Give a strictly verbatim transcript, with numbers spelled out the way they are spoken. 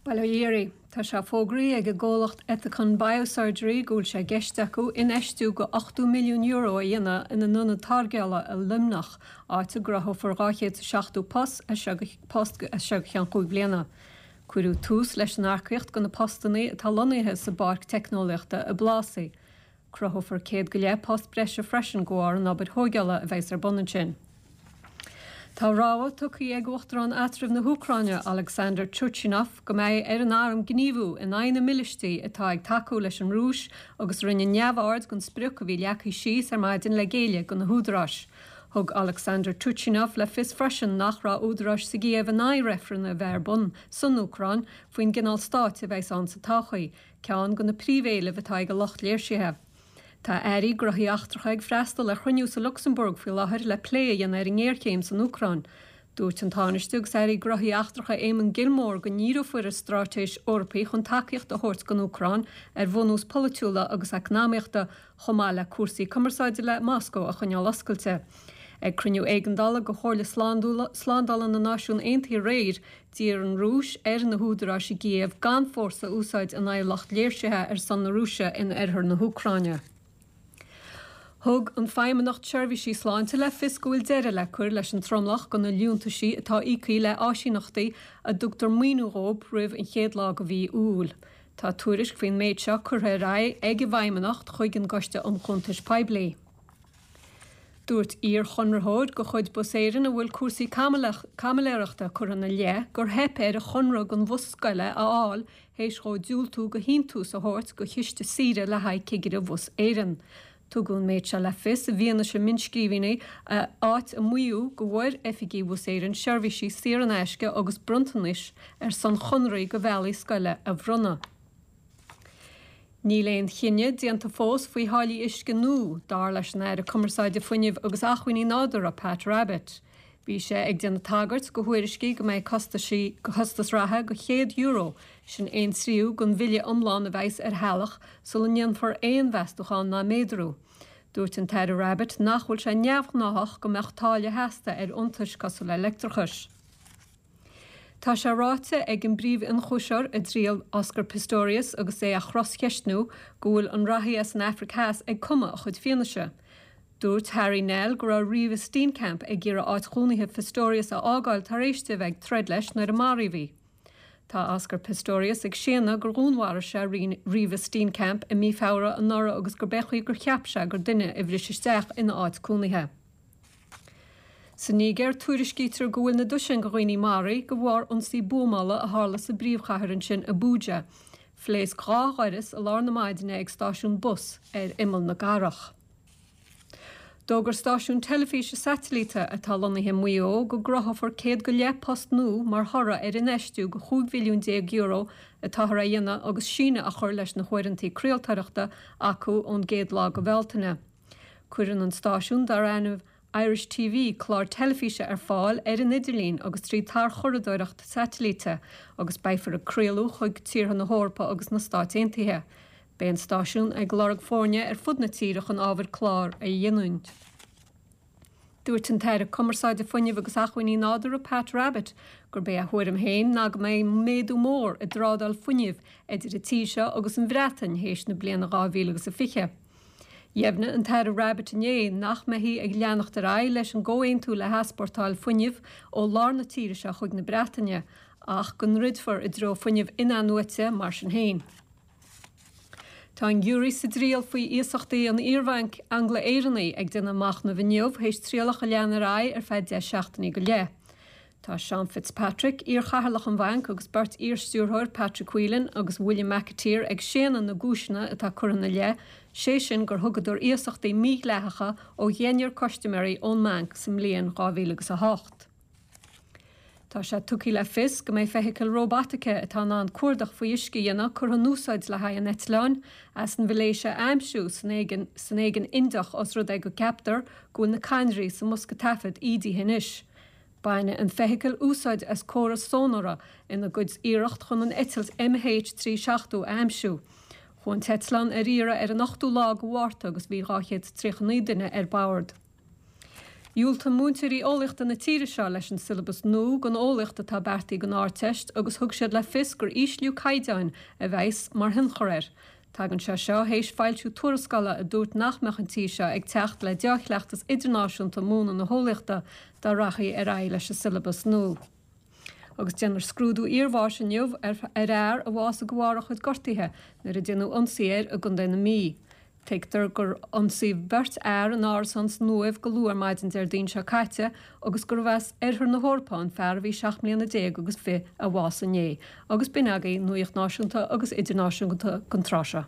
Bail ó Dhia oraibh. Tá sé fógraithe ag an gcomhlacht Ethicon Biosurgery go bhfuil sé i gceist acu infheistiú go ochtó milliún euro a dhéanamh ina n-ionad táirgeála i Luimneach, áit a gcruthófar dhá chéad is seachtó post as seo go post as seo go ceann cúig bliana. Cuireadh tús leis an earcaíocht go na postanna atá lonnaithe sa bPáirc Teicneolaíochta i bPlásaí. Cruthófar céad go leith post breise freisin de bharr an obair thógála a bheas ar bun ansin. Tá rabhadh tugtha ag Uachtarán eatramhach na hÚcráine Alexander Turchinov go mbeidh ar an arm gníomhú in aghaidh na mílístí atá ag tacú leis an Rúis agus rinne neamhaird den sprioc a bhí leagtha síos ar maidin le géilleadh do na húdaráis. Thug Alexander Turchinov le fios freisin nach raibh údaráis sa gCív in aghaidh reifreann a bheith ar bun san Úcráin faoin gcineál stáit a bheas ann sa todhchaí, ceann de na príomhéilimh atá ag a lucht léirsithe. Tá airí gnóthaí eachtracha ag freastal ar chruinniú sa Lucsamburg faoi láthair le plé a dhéanamh ar an ngéarchéim san Úcráin. Dúirt an Tánaiste agus Aire Gnóthaí Eachtracha Eamon Gilmore go ndíreofar ar straitéis Eorpach chun tacaíocht a thabhairt don Úcráin ar bhunús polaitiúla agus eacnamaíochta chomh maith le cúrsaí cumarsáide le Moscó a choinneáil oscailte. Ag cruinniú éigeandála de Chomhairle Slándála na Náisiún Aontaithe aréir, d'iarr an Rúis ar na húdaráis i gCív gan fórsa a úsáid in aghaidh lucht léirsithe ar son na Rúise in oirthear na hÚcráine. Thug an Feidhmeannacht Seirbhísí Sláinte le fios go bhfuil deireadh le cur leis an tromlach de na liúntaisí atá íoctha le áisíneachtaí a dtugtar maoiniú dóibh roimh an chéad lá de mhí Iúil. Tá tuairisc faoin méid seo curtha ar aghaidh ag an bhFeidhmeannacht chuig an gCoiste um Chuntais Poiblí. Dúirt iar-chonraitheoir de chuid Bus Éireann a bhfuil cúrsaí caimiléireachta curtha ina leith gur theip air a chonradh don bhus scoile a fháil théis dhó diúltú do shíntiús a thabhairt do chiste saoire le haghaidh cigire Bhus Éireann. Tugadh an méid seo le fios i bhfianaise mionnscríbhinní áit a maíodh go bhfuair oifigigh Bhus Éireann seirbhísí saor in aisce agus bronntanais ar son chonraí do bhealaí scoile a bhronnadh. Níl aon chinneadh déanta fós faoi tháillí uisce nua, dar leis an Aire Cumarsáide Fuinnimh agus Acmhainní Nádúrtha Pat Rabbitte. Bhí sé ag déanamh tagairt do thuairiscí go mbeidh costaisí costas reatha go céad euro sin aon tríú den bhille iomlán a bheas ar theaghlach sula ndéanfar aon mheastachán ná méadrú. Dúirt an tAire Rabbitte nach bhfuil sé neamhghnáthach go mbeadh táille sheasta ar iontais cosúil le leictreachas. Tá sé ráite ag an bpríomh-ionchúiseoir i dtriail Oscar Pistorius agus é á chroscheistniú go bhfuil an reathaí as an Afraic Theas ag cumadh a chuid fianaise. Dúirt Harry Nel go raibh Reeva Steenkamp ag iarraidh áit chónaithe Pistorius a fhágáil tar éis di a bheith ag troid leis nuair a maraíodh í. Tá Oscar Pistorius ag séanadh gur dhúnmharaigh sé Reeva Steenkamp i mí Feabhra anuraidh agus gurb é chaoi gur cheap sé gur duine a bhris isteach ina áit cónaithe. Sa Nigéir tuairiscítear go bhfuil na dosaein de dhaoine maraithe de bharr ionsaí buamála a tharla sa bpríomhchathair ansin Abuja. Phléasc dhá dhoras i lár na maidine ag stáisiún bus ar imeall na cathrach. D'fhógair stáisiún teilifíse satailíte atá lonnaithe i Maigh Eo go gcruthófar céad go leith post nua mar thoradh ar infheistiú go chúig mhilliún déag euro atáthar a dhéanamh agus síneadh a chur leis na huaireanta craoltóireachta acu ón gcéad lá de Bhealtaine. Cuireann an stáisiún dar ainm Irish TV clár teilifíse ar fáil ar an idirlíon agus trí tarchuradóireacht satailíte agus beifear ag craoladh chuig tíortha na hEorpa agus na Stáit Aontaithe. Beidh an stáisiún ag lorg foirne ar fud na tíre chun ábhar clár a ghiniúint. Dúirt an tAire Cumarsáide Fuinnimh agus Acmhainní Nádúrtha Pat Rabbitte gurb é a thuairim féin ná go mbeidh méadú mór i dtrádáil fuinnimh idir an tír seo agus an Bhreatain théis na bliana dhá mhíle agus a fiche. Dheimhnigh an tAire Rabbitte inné nach mbeifí ag leanacht ar aghaidh leis an gcomhaontú le heaspórtáil fuinnimh ó lár na tíre seo chuig na Breataine ach go ndruidfear i dtreo fuinneamh in-athnuaite mar sin féin. Tá an giúiré sa dtriail faoi iasachtaí an iarbhainc Angla-Éireannaigh ag déanamh machnaimh inniu théis trialach a lean ar aghaidh ar feadh deich seachtainí go leith. Tá Seán Fitzpatrick, iarchathaoirleach an bhainc agus beirt iarstiúrthóir Patrick Whelan agus William McAteer ag séanadh na gcúiseanna atá curtha ina leith, sé sin gur thugadar iasachtaí mídhleathacha ó dheichniúr custaiméirí ón mbanc sa mbliain dhá mhíle agus a hocht. Tá sé tugtha le fios go mbeidh feithicil róbataice atá in ann cuardach faoi uisce a dhéanamh curtha in úsáid le haghaidh an eitleáin as an Mhalaeisia a aimsiú san Aigéan Indiach os rud é go gceaptar go bhfuil na cadhnraí sa mbosca taifead ídithe anois. Baineann an feithicil úsáid as córas sónára ina gcuid iarracht chun an eitilt M H trí seachtó a aimsiú. Chuaigh an t-eitleán ar iarraidh ar an ochtú lá de Mhárta agus bhí dhá chéad tríocha naoi duine ar bord. Dhiúltaigh múinteoirí eolaíochta na tíre seo leis an siollabas nua don eolaíocht atá beartaithe don Ardteist agus thug siad le fios gur ísliú caighdeáin a bheas mar thionchar air. Tagann sé seo théis foilsiú tuarascála a dúirt nach mbeadh an tír seo ag teacht le dea-chleachtas idirnáisiúnta múineadh na heolaíochta dá rachaí ar aghaidh leis an siollabas nua. Agus déanfar scrúdú iarbháis inniu ar fhear a bhásaigh de bharr a chuid gortuithe nuair a déanadh ionsaí air i gContae na Mí. Tuigtear gur ionsaíodh beirt fhear in árasán san Uaimh go luath ar maidin Déardaoin seo caite agus gurbh as oirthear na hEorpa an fear a bhí seacht mbliana déag agus fiche a bhásaigh inné. Agus b'in agaibh nuacht náisiúnta agus idirnáisiúnta don tráth seo.